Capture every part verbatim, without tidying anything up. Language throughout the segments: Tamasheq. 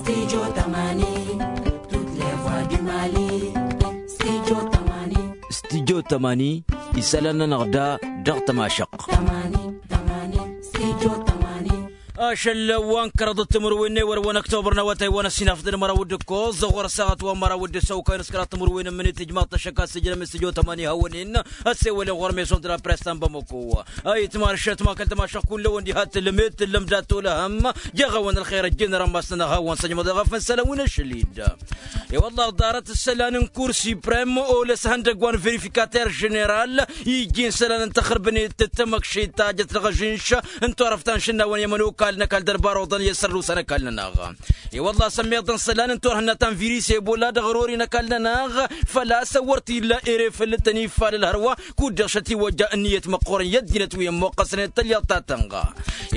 Studio tămani. Studyo tămani. Isălan-nănăɣ da dăɣ-tămašăqq. Ašăl wa n-kăraḍăt timǝrwen n-ewăr wa n-ăktobăr n-awătay wa n-ăssinafăt d-măraw d-ǝkkoẓ ɣur-ăssaɣăt wa n-măraw d-ǝssăwkăy n-s kăraḍ timǝrwen n-imǝnit ijmaḍ tăššăk a-s ǝjrăm i-studyo tămani hawăn-in ăssewălen ɣur-meson d-la press ta n-bamăko. Ayǝtmašăt ma kăl-tămašăqq kull-ewăn diha t-tǝllǝmet tǝllăm dat-olăhăm. Jeɣ-awăn ălxer ăjjeen ăramas-nănăɣ hawăn-săjmăḍ eɣăf n-isălan wi n-ašăl-dd. I-wălla ḍarăt isălan n-kur siprem olăs ihăndăgg wa n-verifikater ženeral ijjin isălan n-taxărbănet d-tamăkšit ta jăt dăɣ-ažǝnš n-turăft ta n-išǝnnawăn i-ămănokal n-ăkall d-ălbaruḍăn i-asărrusăn ăkall-nănăɣ. I-wălla sămmeḍăn isălan n-turhǝnna ta n-viris ebola dăɣ-ărori n-ăkall-nănăɣ făl-a-s wăr t-illa ere făll-tăn-ifalăl hărwa kud-dăɣ šătiwăjja ǝnniyăt măqqoorăn i-ăddinăt wi ămmoqqăsnen d-tălyaḍt ta tănɣa.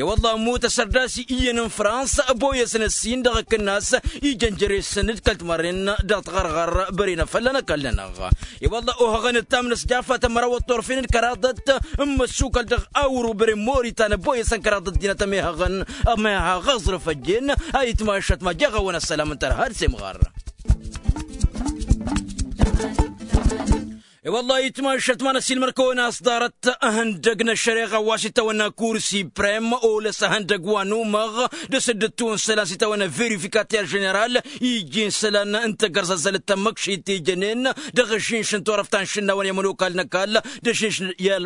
I-wălla ămmut asărdasi iyyăn n-frans ăboyăsăn ăssin dăɣ-akǝnnas ijăn jere-săn d-kăl-timarren dăɣ-tiɣărɣăr băren afălla n-ăkall-nănăɣ. I-wălla ohăɣăn ǝttam n-ăsjafat ămăraw ăṭṭurfen d-kăraḍăt n-imǝssukăl dăɣ-awru băren moritan ăboyăsăn kăraḍăt dinăt ămehăɣăn ămehăɣ aẓrǝf ăjjeen. Ayǝtmašăt ma jeɣ-awăn ăssălam n-tărha d-semɣar. I-wălla-hi itmašăt ma n-ăssiilmăr-kăwăn a-s ḍarăt ihăndăg n-ăššăreɣa wa s-itawănna kur siprem olăs ihăndăg wa n-umăɣ d-asǝddǝttu n-isălan s-itawănna verifikater ženeral iji n-isălan n-tagărzăzzălăt tamăkšit ti jănen dăɣ-ažinš n-turăft ta n-išǝnnawăn i-ămănokal n-ăkall d-ažinš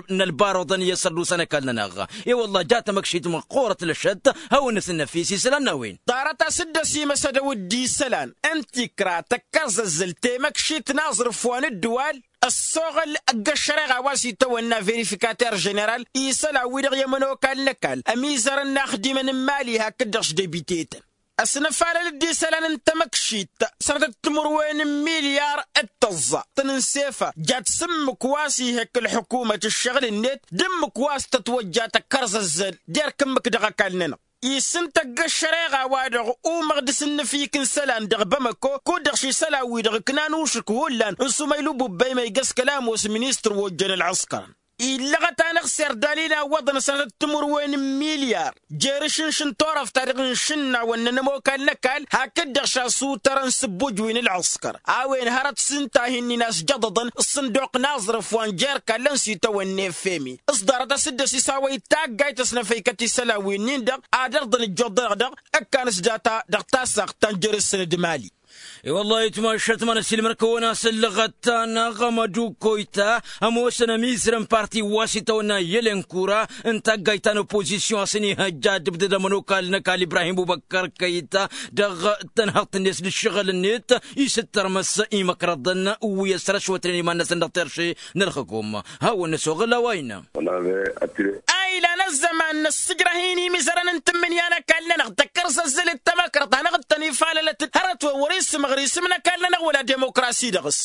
n-ălbaruḍăn i-asărdusa n-ăkall-nănăɣ. I-wălla-hi ja tamăkšit măqqoorăt lăšăt hawăn-năsǝnnăfis isălan n-a-wen. Ḍarăt a-s dd-ăsimăsădăw d-isălan n-tikra tăkkărzăzzăl temăkšit n-aẓrǝf wa n-ǝddǝwal ăssoɣăl ăgg-ăššăreɣa wa s-itawănna verifikater ženeral isălan-wi-dăɣ i-ămănokal n-ăkall ămizărăn inaxdimăn n-imali hakd-dăɣ-s debitetăn. Ăsnăfalăl-dd isălan n-tamăkšit sănătăt timǝrwen n-milyar d-tăẓẓa tăn-ǝnsefa jat s-ǝmmǝk wa s-ihek ălḥukumăt ǝššăɣǝl-net d-ǝmmǝk wa s-tătwăjja tăkkărzăzzăl d-erk ǝmmǝk dăɣ-ăkall-nănăɣ. Isǝntăgg ăššăreɣa-wa-dăɣ umăɣ d-asǝnnǝfik n-isălan dăɣ-bamăko kud-dăɣ š-isălan-wi-dăɣ ǝknan ušǝk hullan n-sumăylu bubba imăygăs kăla ămoos ministăr wa ojjăn ălɣǝskărăn. Illăɣăt-anăɣ s-erdal inawwăḍăn sănătăt timǝrwen n-milyar jer-ašǝnš n-turăft-ta-dăɣ n-išǝnnawăn n-ănămokal n-ăkall hakd-dăɣ šasutărăn s-ǝbbuj wi n-ǝlɣǝskăr a-wen hărăt s-ǝnta a hin-inasjăḍăḍăn ǝssǝnduq n-aẓrǝf wa n-jer-kallăn s-itawănna efemi s-ḍarăt a-s dd-ăsisawăy taggayt ăsnăfăykăt isălan-wi-nin-dăɣ ad-ărḍăn ǝjjuḍ-dăɣ-dăɣ ǝkkan s-data dăɣ-tasaɣt ta n-jer-isǝn d-mali. I-wăllah itmašăt ma n-ăssiilmăr-kăwăn a-s ǝllăɣăt-anăɣ măduk koyta ămoosăn ămizărăn parti wa s-itawănna i-ălenkura n-taggayt ta n-opozisyon a-s ănihăjja ad-dd-ǝbdǝd ămănokal n-ăkall ibrahim bubăkkăr kăyta dăɣ-tănhăḍt-net d-ǝššăɣǝl-net isǝttărmăs imăkrăḍăn wi ăsrăšwătnen iman-năsăn dăɣ-terše n-ălxǝkum. Hawăn-năsoɣăl a-wa innă. A ilan ăzzăman n-ăssǝjrăh-in imizărăn n-tǝmmǝnǝya n-ăkall-nănăɣ tăkkărzăzzăl d-tamăkrăḍt hanăɣ-dd-tăn-ifalălăt hărăt-wen wăr-isǝmɣăr isǝm n-ăkall-nănăɣ wăla demokrasi dăɣ-s.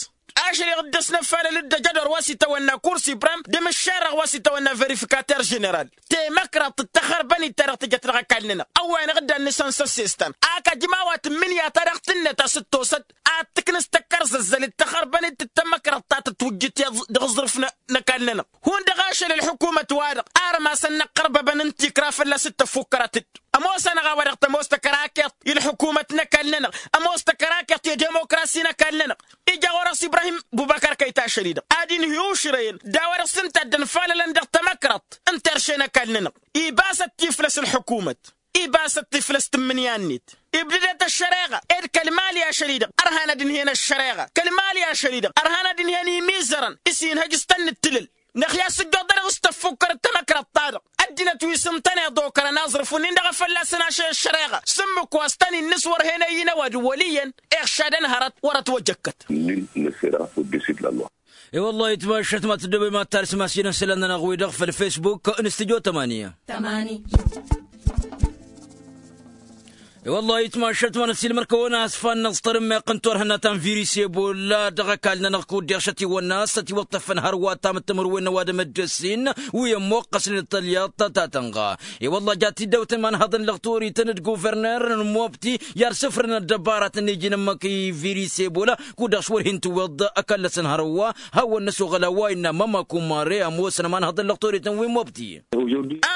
Ašăl-i dd-ăsnăfalăl-dd ăjădor wa s-itawănna kur siprem d-imǝššerăɣ wa s-itawănna verifikater ženeral temăkrăḍt d-taxărbănit ta dăɣ-tǝjăt dăɣ-ăkall-nănăɣ. Ăwway-năɣ dd-annǝsăn s-ăssestan ak ăjma wa tǝmmǝnǝya ta dăɣ-tǝnnăt a-s dd-tosăt ad-tǝknǝs tăkkărzăzzăl d-taxărbănit d-tamăkrăḍt ta tǝtwǝjjǝt i-aẓ- dăɣ-aẓrǝf n-ăkall-nănăɣ. Hundăɣ ašăl ălḥukumăt-wa-dăɣ armas ănnăqqărbăbăn n-tikra fălla-s dd-tăffukkărăt-dd. Ămoos-anăɣ a-wa dăɣ-tămoos tăkărakeḍt i-ălḥukumăt n-ăkall-nănăɣ ămoos tăkărakeḍt i-demokrasi n-ăkall-nănăɣ. Ija ɣur-s ibrahim bubăkăr kăyt ašăl-i-dăɣ ad-inhǝy ušrăyăn d-a-wa dăɣ-s ǝnta a dd-ănfalălăn dăɣ-tamăkrăḍt n-terše n-ăkall-nănăɣ. Ibasăt tiflăs ălḥukumăt. Ibasăt tiflăs tǝmmǝnǝya-net. Ibdǝdet ăššăreɣa ed kăl-mali ašăl-i-dăɣ ărhan ad-ǝnhǝyăn ăššăreɣa kăl-mali ašăl-i-dăɣ ărhan ad-ǝnhǝyăn imizărăn s-inhăj s-tăn-nǝttǝlǝl. Năxya s-ǝjjuḍănăɣ s-tăffukkărăt tamăkrăḍt-ta-dăɣ ăddinăt wi s-ǝntăneḍ okărăn aẓrǝf-wi-nin-dăɣ a fălla-săn ašăl ăššăreɣa s-ǝmmǝk wa s-tăn-innǝs wăr hen ăyyǝn ăwadǝm wăl' iyyăn. Iɣšadăn hărăt wăr-ătwăjăkkăt. I-wăllah itmašăt ma tǝddobem ad-tarǝs imasinăn isălan-nănăɣ-wi-dăɣ făll-fesbuk n-studyo tămani. I-wăllah itmašăt ma n-ăssiilmăr-kăwăn a-s fan n-aẓtăr ǝmmeɣ n-turhǝnna ta n-viris ebolla dăɣ-ăkall-nănăɣ kud-deɣ šătiwănna a-s ătiwăṭṭăfăn hărwa ta mǝttǝmǝrwen n-ăwadǝm ăddăssin wi ămmoqqăsnen d-tălyaḍt ta tănɣa. I-wăllah jat-dd-ăwtăn imanhăḍăn lăɣtorităn d-guverner n-mobti i-ad-sǝfrǝn ăddăbaratăn n-iji n-ǝmmǝk i-viris ebola kud-dăɣ s-wăr hin-tǝwweḍ ăkall-năsăn hărwa. Hawăn-năsoɣăl a-wa innă mămăkumare ămoosăn imanhăḍăn lăɣtorităn wi n-mobti.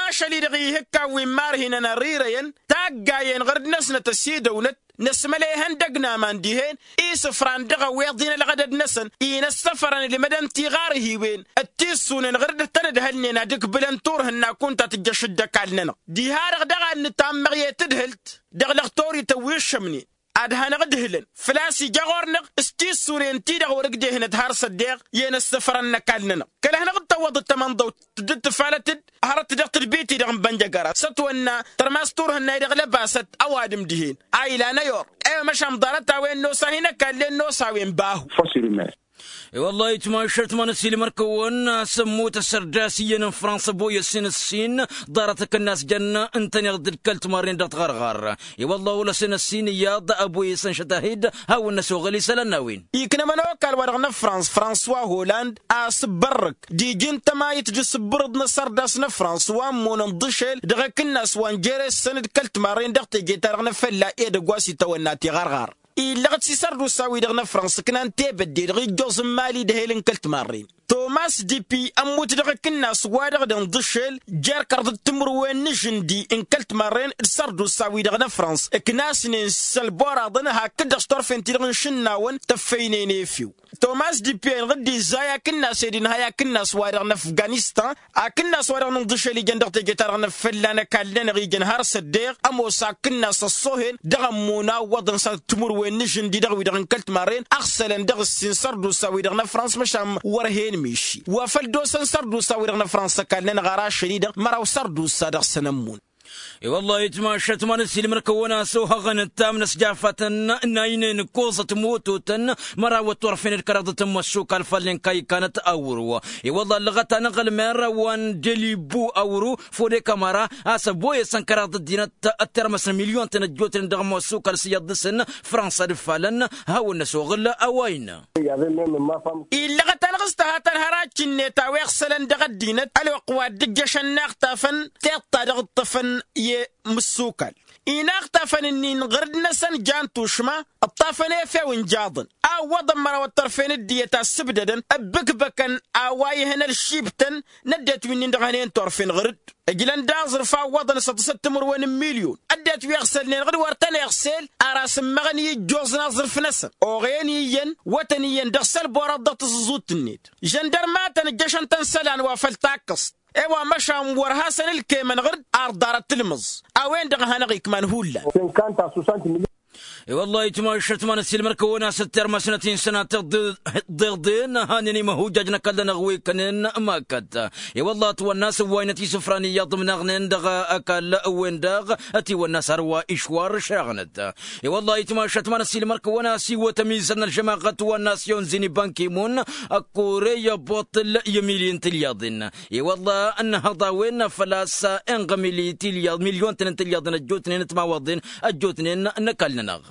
Ašăl-i-dăɣ ihǝkkan wi n-imarhinăn ărirăyăn taggayen ɣur-dd-năsnăt ăsidăwnăt. Năsmălăy ihăndăg n-aman dihen isǝfran dăɣ-ăwweḍ-in ălɣădăd-năsăn. Inăssăfărăn ǝlmădăn tiɣarhiwen d-tissunen ɣǝr-dd tăn-ǝdhălnen ad-ǝkbǝlăn turhǝnna kunta tǝjjăš dd-ăkall-nănăɣ. Diha-dăɣ daɣ ad-nǝtammăɣ i-tǝdhǝlt dăɣ-lăɣ torităn wi ǝššămnen ad-hanăɣ-ǝdhǝlăn făl-a-s ija ɣur-năɣ s-tissunen-ti-dăɣ wăr-ǝgdehǝnăt har s-ăddeɣ i-inăssăfărăn n-ăkall-nănăɣ. Kăl-ad-hanăɣ-dd-tăwwăḍăt tamănḍăwt tǝddǝt tǝfalăt-dd hărăt dăɣ-tadbit-i-dăɣ n-bănjăgăra s-ătwănna tărmas turhǝnna-i-dăɣ lăbasăt ăwadǝm dihen a ila năyor. I-wa măšan ḍarăt-a-wen n-osa hin-ăkallen n-osa a-wen bahu. I-wăllah itmašăt ma n-ăsiilmăr-kăwăn a-s ămmut ăssărdas iyyăn n-fransa boyăsen ǝssin ḍarăt akǝnnas jăn ǝntăneḍ d-kăl-timarren dăɣ-tiɣărɣar. I-wăllah olăsen ăssin iyyăḍ ăboyăsăn šătahid hawăn-năsoɣăl isălan n-a-wen. Iknămăn okal-wa-dăɣ n-frans françois holland a-s ǝbbărrǝk d-iji n-tămayǝt d-asǝbbărǝḍ n-asărdas n-frans wa ămmunăn ḍǝšel dăɣ-akǝnnas wa n-jere-săn d-kăl-timarren dăɣ-teje-ta-dăɣ n-afălla edăgg wa s-itawănna tiɣărɣar. Illăɣ-dd s-isărdusa-wi-dăɣ n-afrăns ǝknan tebădde-dăɣ ijjoẓ n-imali d-ehel n-kăl-timarren. Tomas dipi ămmut dăɣ-akǝnnas-wa-dăɣ dăɣ-inḍǝšel jer-kăraḍăt timǝrwen n-ažǝndi n-kăl-timarren d-isărdusa-wi-dăɣ n-afrăns ǝknasnen s-ălboraḍăn hakd-dăɣ s-turfen-ti-dăɣ n-išǝnnawăn tăffăynen efew. Tomas dipi-enăɣ dd-izzay akǝnnas ed inhay akǝnnas-wa-dăɣ n-afganistan. Akǝnnas-wa-dăɣ n-inḍǝšel ijăn dăɣ-teje-ta-dăɣ n-afălla n-ăkall-nănăɣ ijăn har s-ăddeɣ ămoos akǝnnas ăṣṣohen dăɣ-ămmun a ǝwwăḍăn s-ad-timǝrwen n-ažǝndi dăɣ-wi-dăɣ n-kăl-timarren ăɣsălăn dăɣ-ǝssin sărdusa-wi-dăɣ n-afrăns măšan wăr hen miši wa făl d-osăn sărdusa-wi-dăɣ n-afrăns ăkall-nănăɣ ar ašăl-i-dăɣ măraw sărdusa dăɣ-săn ămmun. I-wăllah itmašăt ma n-ăsiilmăr-kăwăn a-s ohăɣăn ǝttam n-ăsjafatăn n-aynen ǝkkoẓăt mototăn măraw ătturfen d-kăraḍăt n-măssukal fallen kaykanăt awru. I-wăllah ăllăɣăt-anăɣ ălmer wa n-delibu awru fode kamara a-s ăboyăsăn kăraḍăt dinăt ăttermăsăn milyon-tăn ăjjootnen dăɣ-măssukal s-iyyăḍ dăɣ-săn fransa d-ǝffalăn. Hawăn-năsoɣǝl a-wa innă. Illăɣăt-anăɣ s-tăhatăn hărăt-net a-wa iɣsălăn dăɣ-ăddinăt ălwăqq wa dd-ǝjjăšăn inaxtafăn tiṭṭa dăɣ-ǝṭṭăfăn i-măssukal. Inaxtafăn-nin ɣǝr-dd-năsăn jan tušma ǝṭṭafăn efew n-jaḍăn a ǝwwăḍăn măraw ăṭṭărfen ǝddiyăt a ǝssǝbdădăn ǝbbǝkbăkăn a-wa ihăn ălšibtăn n-ăddinăt wi-nin-dăɣ hănen turfen ɣǝr-dd. Ǝjlăn d-aẓrǝf a ǝwwăḍăn s-ăḍǝsăt timǝrwen n-milyon ăddinăt wi ăɣsălnen ɣǝd wăr tăn-iɣsel ar asǝmmăɣăn i-ijjoẓ n-aẓrǝf-năsăn oɣăyăn iyyăn wătăn iyyăn dăɣ-sălboraḍ dăɣ-tǝẓǝẓut-net žăndărmatăn ǝjjăšăn-tăn isălan wa făll-takkăẓt. I-wa măšan wăr hasăn-ǝlkemăn ɣǝr-dd ar ḍarăt tǝlmǝẓ a-wen-dăɣ a hanăɣ-ikman hullan. I-wăllah itmašăt ma n-ăsiilmăr-kăwăn a-s ǝttermăsnăt-in sănatăt ḍeḍen hanen imăhujjaj n-ăkall-nănăɣ wi ǝkkănen makăt. I-wăllah ătwănna a-s ǝwwaynăt isǝfran iyyăḍ ǝmnaɣnen dăɣ-ăkall-wen-dăɣ ătiwănna a-s hărwa išwar šăɣnăt. I-wăllah itmašăt ma n-ăsiilmăr-kăwăn a-s iwwăt ămizăr n-ălžămaɣăt wa n-nasyon zini bankimun ăkkoreya boṭṭǝl i-milyin tilyaḍen. I-wăllah ănnăhăḍ a-wen făl-a-s inɣămili tilyaḍ milyon-tăn n-tilyaḍen ăjjootnen ătmawaḍen ăjjootnen n-ăkall-nănăɣ.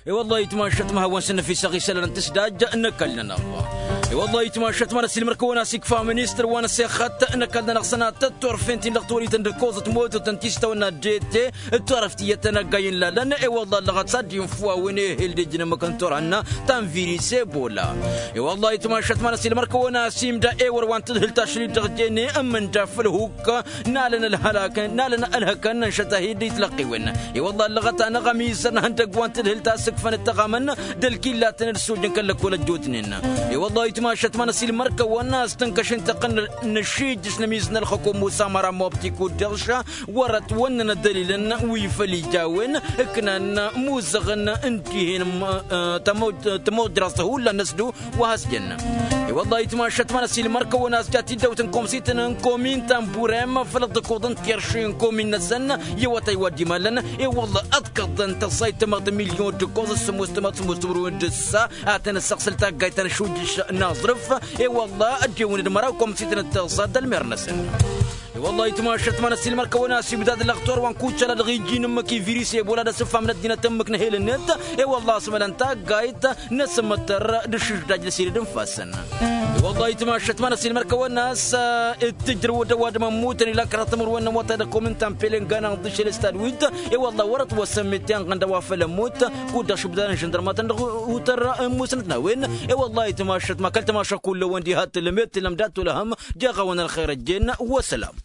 I-wăllah itmašăt ma hawăn-s ănnăfisăɣ isălan n-tǝsdaj n-ăkall-nănăɣ. I-wăllah itmašăt ma n-ăsilmăr-kăwăn a-s ikfa ministăr wa n-asexăt n-ăkall-nănăɣ sănatăt turfen-t-in-dăɣ torităn d-ăkkoẓăt mototăn ti s-tawănna d-ete d-turăft iyyăt ănăggay n-lalăn. I-wăllah ăllăɣăt s-ad-dd-infǝw a-wen ehel d-ejăn ămmăk n-turhǝnna ta n-viris ebola. I-wăllah itmašăt ma n-ăsilmăr-kăwăn a-s imda ewăr wa n-tadhǝlt tašlit dăɣ-jene ǝmmǝnda făll-hukk n-alăn ălhălakăn n-alăn ălhăkăn n-šătahid d-itlăqqiwen. I-wăllah ăllăɣăt-anăɣ ămizăr n-ihăndăgg wa n-tadhǝlt a sǝkfăn ǝttăɣamăn d-ălkillatăn d-sujăn kăl-lăkkol ăjjootnen. I-wăllah itmašăt ma n-ăsilmăr-kăwăn a-s tǝnkăš intăqqăn n-ăššijjǝs n-ămizăr n-ălxăkom musa măra mobti kuddăɣša wăr-ătwănnăn ad-ălilăn wi făll-ija a-wen ǝknan imuzăɣăn n-dihen tămojraẓt hullan n-ăsdu. Wa has-jăn i-wăllah itmašăt ma n-ăsilmăr-kăwăn a-s jat-dd-ăwt n-komsităn n-komin ta n-burem făll-ăḍḍăkoḍăn tirši n-komin-năsăn i-awătay wa dd-imallăn. I-wăllah ăḍkăḍăn tăṣṣayt tămăɣt n-milyon d-ǝkkoẓ s-sǝmmos tămăɣt sǝmmos timǝrwen d-ǝssa. Ad-tăn-ăssăɣsăl taggayt ta n-ašujjǝš n-aẓrǝf. I-wăllah ăddewăn d-măraw komsităn d-tiẓẓa d-ălmer-năsăn. I-wăllah itmašăt ma n-ăsilmăr-kăwăn a-s ibdad ălăɣtor wa n-kucăla dăɣ-iji n-ǝmmǝk i-viris ebola d-asǝffam n-ăddinăt ǝmmǝk n-ehel-net. I-wăllah a-s mălăn taggayt n-asǝmmăttăr d-ašǝžžaj n-asirǝd n-ifassăn. I-wăllah itmašăt ma n-ăsilmăr-kăwăn a-s dd-tǝjrăw d-ăwadǝm ămmutăn ilan kăraḍ timǝrwen n-awătay dăɣ-komin ta n-pelengana n-ḍǝšel s-tadwit. I-wăllah wăr-ătwăssăn metten ɣǝnda wa făll-ămmut kud-dăɣ šǝbdadăn žăndărmatăn dăɣ-utăr n-musnăt n-a-wen. I-wăllah itmašăt ma kăl-tamaša kull-ăwăn diha t-tǝllăm i-t-tǝllăm dat-tulăhăm. Jeɣ-awăn ălxer ăjjeen. Wăssălam.